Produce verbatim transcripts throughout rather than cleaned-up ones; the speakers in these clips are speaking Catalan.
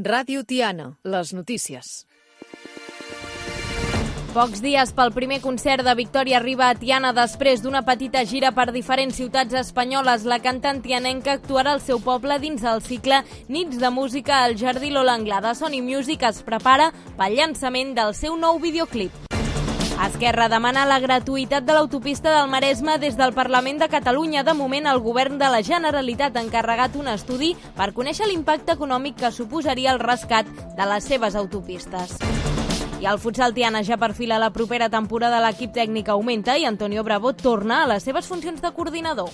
Ràdio Tiana, les notícies. Pocs dies pel primer concert de Victòria Riba a Tiana. Després d'una petita gira per diferents ciutats espanyoles, la cantant tianenca actuarà al seu poble dins el cicle Nits de Música al Jardí Lola Anglada. Sony Music es prepara pel llançament del seu nou videoclip. Esquerra demana la gratuïtat de l'autopista del Maresme des del Parlament de Catalunya. De moment, el govern de la Generalitat ha encarregat un estudi per conèixer l'impacte econòmic que suposaria el rescat de les seves autopistes. I el futsal Tiana ja perfila la propera temporada. L'equip tècnic augmenta i Antonio Bravo torna a les seves funcions de coordinador.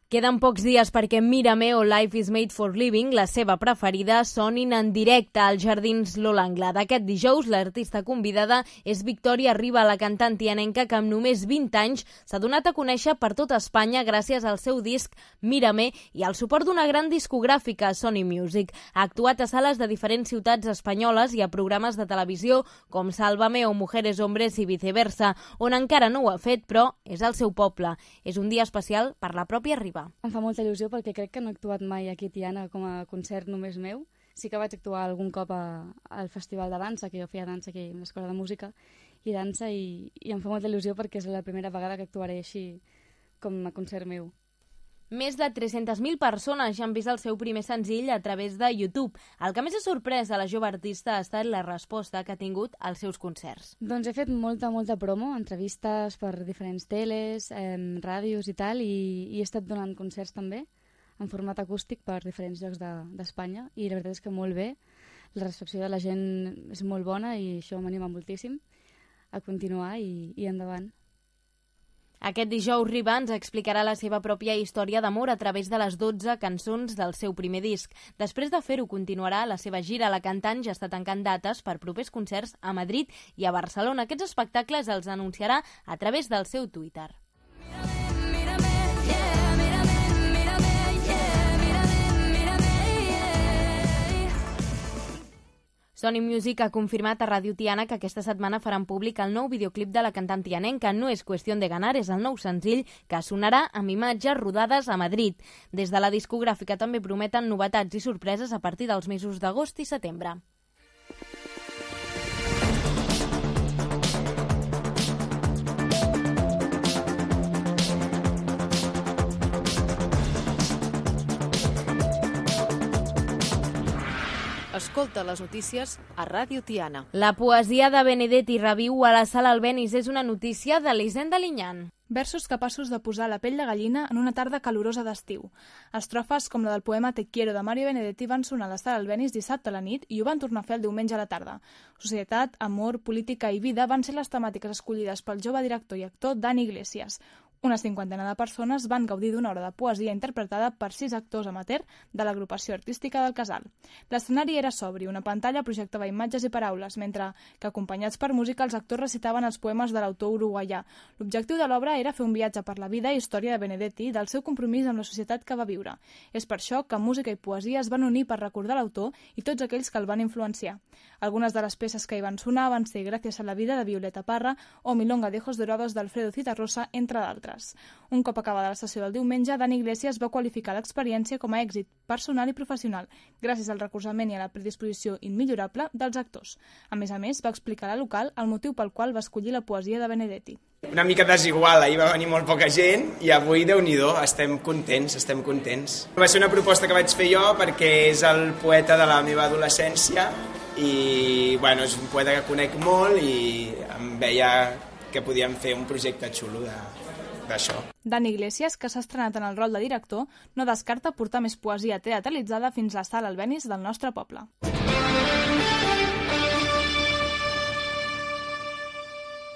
Queden pocs dies perquè Mírame o Life is Made for Living, la seva preferida, sonin en directe als Jardins Lola Anglada. Aquest dijous, l'artista convidada és Victòria Riba, la cantant tianenca que amb només vint anys s'ha donat a conèixer per tota Espanya gràcies al seu disc Mírame i al suport d'una gran discogràfica, Sony Music. Ha actuat a sales de diferents ciutats espanyoles i a programes de televisió com Sálvame o Mujeres, Hombres i viceversa, on encara no ho ha fet, però és el seu poble. És un dia especial per la pròpia Riba. Em fa molta il·lusió perquè crec que no he actuat mai aquí a Tiana com a concert només meu. Sí que vaig actuar algun cop a, al Festival de Dansa, que jo feia dansa aquí a l'Escola de Música i dansa, i, i em fa molta il·lusió perquè és la primera vegada que actuaré així com a concert meu. Més de tres-centes mil persones ja han vist el seu primer senzill a través de YouTube. El que més ha sorprès a la jove artista ha estat la resposta que ha tingut als seus concerts. Doncs he fet molta, molta promo, entrevistes per diferents teles, eh, ràdios i tal, i, i he estat donant concerts també en format acústic per diferents llocs d'Espanya, de, i la veritat és que molt bé. La recepció de la gent és molt bona i això m'anima moltíssim a continuar i, i endavant. Aquest dijous Riba ens explicarà la seva pròpia història d'amor a través de les dotze cançons del seu primer disc. Després de fer-ho, continuarà la seva gira. La cantant ja està tancant dates per propers concerts a Madrid i a Barcelona. Aquests espectacles els anunciarà a través del seu Twitter. Sony Music ha confirmat a Ràdio Tiana que aquesta setmana faran públic el nou videoclip de la cantant tianenca. No és qüestió de ganar, és el nou senzill que sonarà amb imatges rodades a Madrid. Des de la discogràfica també prometen novetats i sorpreses a partir dels mesos d'agost i setembre. Escolta les notícies a Ràdio Tiana. La poesia de Benedetti reviu a la Sala Albéniz. És una notícia d'Elisenda Linyán. Versos capaços de posar la pell de gallina en una tarda calorosa d'estiu. Estrofes com la del poema Te quiero de Mario Benedetti van sonar a la Sala Albéniz dissabte a la nit i ho van tornar a fer el diumenge a la tarda. Societat, amor, política i vida van ser les temàtiques escollides pel jove director i actor Dani Iglesias. Una cinquantena de persones van gaudir d'una hora de poesia interpretada per sis actors amateur de l'agrupació artística del Casal. L'escenari era sobri, una pantalla projectava imatges i paraules, mentre que, acompanyats per música, els actors recitaven els poemes de l'autor uruguaià. L'objectiu de l'obra era fer un viatge per la vida i història de Benedetti i del seu compromís amb la societat que va viure. És per això que música i poesia es van unir per recordar l'autor i tots aquells que el van influenciar. Algunes de les peces que hi van sonar van ser Gràcies a la vida de Violeta Parra o Milonga de ojos dorados d'Alfredo Citarrosa, entre d'altres. Un cop acabada la sessió del diumenge, Dani Iglesias va qualificar l'experiència com a èxit personal i professional, gràcies al recolzament i a la predisposició immillorable dels actors. A més a més, va explicar a la local el motiu pel qual va escollir la poesia de Benedetti. Una mica desigual, ahir va venir molt poca gent i avui, Déu-n'hi-do, estem contents, estem contents. Va ser una proposta que vaig fer jo perquè és el poeta de la meva adolescència i bueno, és un poeta que conec molt i em veia que podíem fer un projecte xulo de... d'això. Dani Iglesias, que s'ha estrenat en el rol de director, no descarta portar més poesia teatralitzada fins a la Sala Albéniz del nostre poble.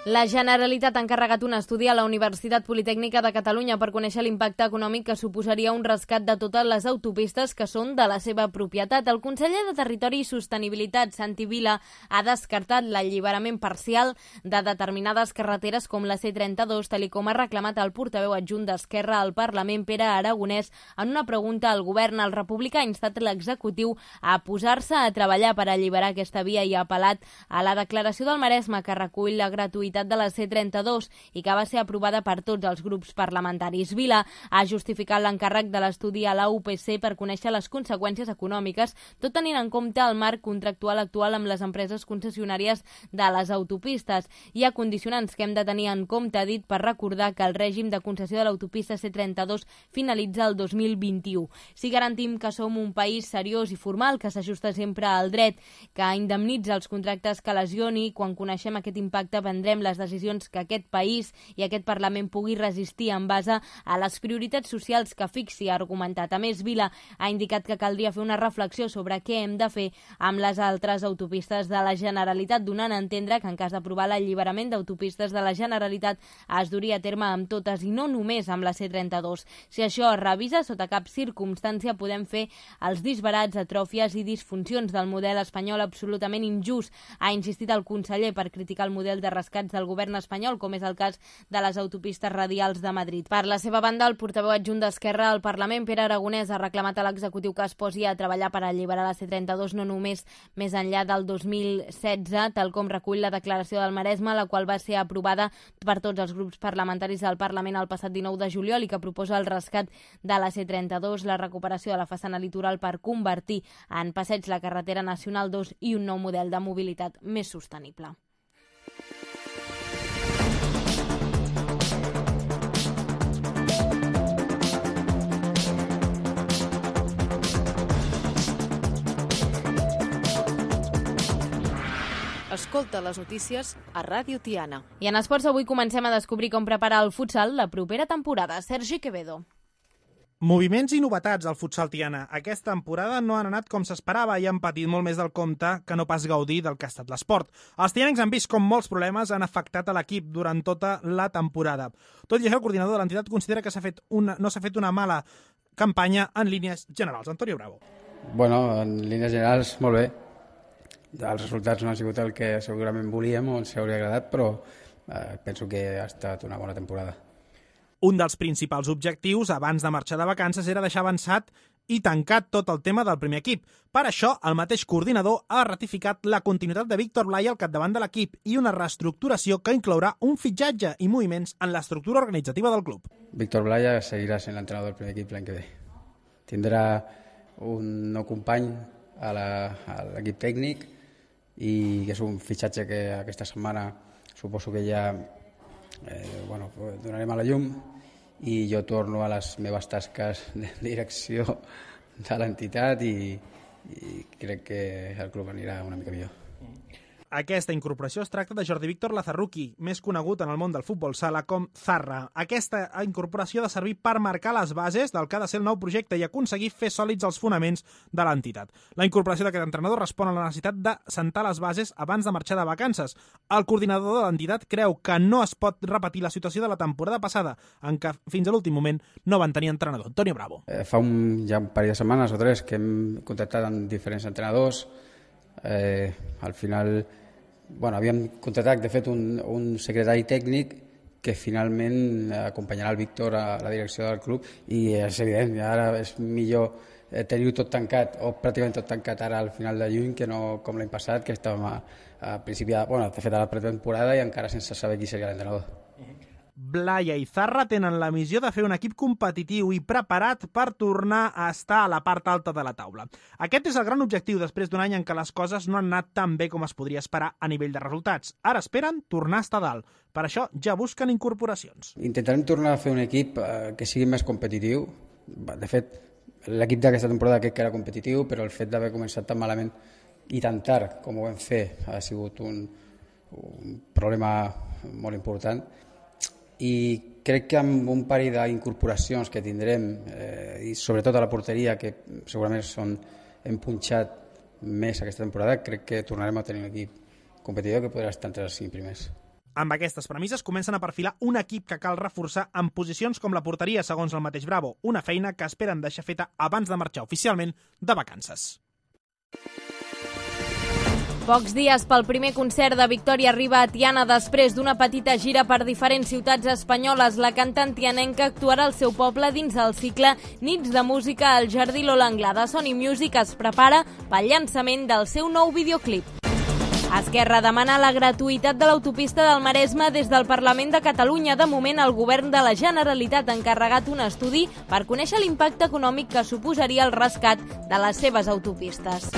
La Generalitat ha encarregat un estudi a la Universitat Politècnica de Catalunya per conèixer l'impacte econòmic que suposaria un rescat de totes les autopistes que són de la seva propietat. El conseller de Territori i Sostenibilitat, Santi Vila, ha descartat l'alliberament parcial de determinades carreteres com la C trenta-dos, tal com ha reclamat el portaveu adjunt d'Esquerra al Parlament, Pere Aragonès. En una pregunta al govern, el republicà ha instat l'executiu a posar-se a treballar per alliberar aquesta via i ha apel·lat a la declaració del Maresme que recull la gratuïtat mobilitat de la C trenta-dos i que va ser aprovada per tots els grups parlamentaris. Vila ha justificat l'encàrrec de l'estudi a la U P C per conèixer les conseqüències econòmiques, tot tenint en compte el marc contractual actual amb les empreses concessionàries de les autopistes. Hi ha condicionants que hem de tenir en compte, ha dit, per recordar que el règim de concessió de l'autopista C trenta-dos finalitza el dos mil vint-i-u. Si garantim que som un país seriós i formal, que s'ajusta sempre al dret, que indemnitza els contractes que lesioni, quan coneixem aquest impacte prendrem les decisions que aquest país i aquest Parlament pugui resistir en base a les prioritats socials que fixi, ha argumentat. A més, Vila ha indicat que caldria fer una reflexió sobre què hem de fer amb les altres autopistes de la Generalitat, donant a entendre que en cas d'aprovar l'alliberament d'autopistes de la Generalitat es duria a terme amb totes i no només amb la C trenta-dos. Si això es revisa, sota cap circumstància podem fer els disbarats, atròfies i disfuncions del model espanyol absolutament injust, ha insistit el conseller, per criticar el model de rescats del govern espanyol, com és el cas de les autopistes radials de Madrid. Per la seva banda, el portaveu adjunt d'Esquerra al Parlament, Pere Aragonès, ha reclamat a l'executiu que es posi a treballar per alliberar la C trenta-dos no només més enllà del dos mil setze, tal com recull la declaració del Maresme, la qual va ser aprovada per tots els grups parlamentaris del Parlament el passat dinou de juliol i que proposa el rescat de la C trenta-dos, la recuperació de la façana litoral per convertir en passeig la carretera nacional dos i un nou model de mobilitat més sostenible. Escolta les notícies a Ràdio Tiana. I en esports avui comencem a descobrir com preparar el futsal la propera temporada. Sergi Quevedo. Moviments i novetats al futsal tiana. Aquesta temporada no han anat com s'esperava i han patit molt més del compte que no pas gaudir del que ha estat l'esport. Els tianencs han vist com molts problemes han afectat a l'equip durant tota la temporada. Tot i això, el coordinador de l'entitat considera que s'ha fet una, no s'ha fet una mala campanya en línies generals. Antonio Bravo. Bueno, en línies generals, molt bé. Els resultats no han sigut el que segurament volíem o ens hauria agradat, però eh, penso que ha estat una bona temporada. Un dels principals objectius abans de marxar de vacances era deixar avançat i tancat tot el tema del primer equip. Per això, el mateix coordinador ha ratificat la continuïtat de Víctor Blaya al capdavant de l'equip i una reestructuració que inclourà un fitxatge i moviments en l'estructura organitzativa del club. Víctor Blaya seguirà sent l'entrenador del primer equip l'any que ve. Tindrà un nou company a l'equip tècnic i que és un fitxatge que aquesta setmana suposo que ja eh, bueno, donarem a la llum i jo torno a les meves tasques de direcció de l'entitat i, i crec que el club anirà una mica millor. Aquesta incorporació es tracta de Jordi Víctor Lazarruqui, més conegut en el món del futbol sala com Zarra. Aquesta incorporació ha de servir per marcar les bases del que ha de ser el nou projecte i aconseguir fer sòlids els fonaments de l'entitat. La incorporació d'aquest entrenador respon a la necessitat de sentar les bases abans de marxar de vacances. El coordinador de l'entitat creu que no es pot repetir la situació de la temporada passada, en què fins a l'últim moment no van tenir entrenador. Antonio Bravo. Eh, fa un, ja un parell de setmanes o tres que hem contactat amb diferents entrenadors. Eh, al final bueno, havíem contractat, de fet, un, un secretari tècnic que finalment acompanyarà el Víctor a la direcció del club i és evident, ara és millor tenir-ho tot tancat o pràcticament tot tancat ara al final de juny que no com l'any passat, que estàvem a, a principi de, bueno, de fet a la pretemporada i encara sense saber qui seria l'entrenador. Blaya i Zarra tenen la missió de fer un equip competitiu i preparat per tornar a estar a la part alta de la taula. Aquest és el gran objectiu després d'un any en què les coses no han anat tan bé com es podria esperar a nivell de resultats. Ara esperen tornar a estar dalt. Per això ja busquen incorporacions. Intentarem tornar a fer un equip eh, que sigui més competitiu. De fet, l'equip d'aquesta temporada crec que era competitiu, però el fet d'haver començat tan malament i tan tard com ho vam fer ha sigut un, un problema molt important. I crec que amb un parell d'incorporacions que tindrem, eh, i sobretot a la porteria, que segurament són, hem punxat més aquesta temporada, crec que tornarem a tenir un equip competitiu que podrà estar entre els cinc primers. Amb aquestes premisses comencen a perfilar un equip que cal reforçar en posicions com la porteria, segons el mateix Bravo, una feina que esperen deixar feta abans de marxar oficialment de vacances. Pocs dies pel primer concert de Victòria arriba a Tiana. Després d'una petita gira per diferents ciutats espanyoles, la cantant tianenca actuarà al seu poble dins el cicle Nits de Música al Jardí Lola Anglada. Sony Music es prepara pel llançament del seu nou videoclip. Esquerra demana la gratuïtat de l'autopista del Maresme des del Parlament de Catalunya. De moment, el govern de la Generalitat ha encarregat un estudi per conèixer l'impacte econòmic que suposaria el rescat de les seves autopistes.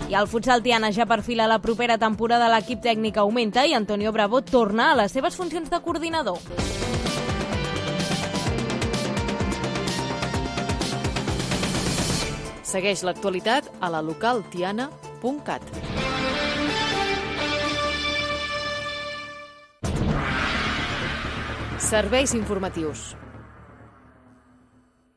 I el futsal Tiana ja perfila la propera temporada. L'equip tècnic augmenta i Antonio Bravo torna a les seves funcions de coordinador. Segueix l'actualitat a la local tiana punt cat. Serveis informatius.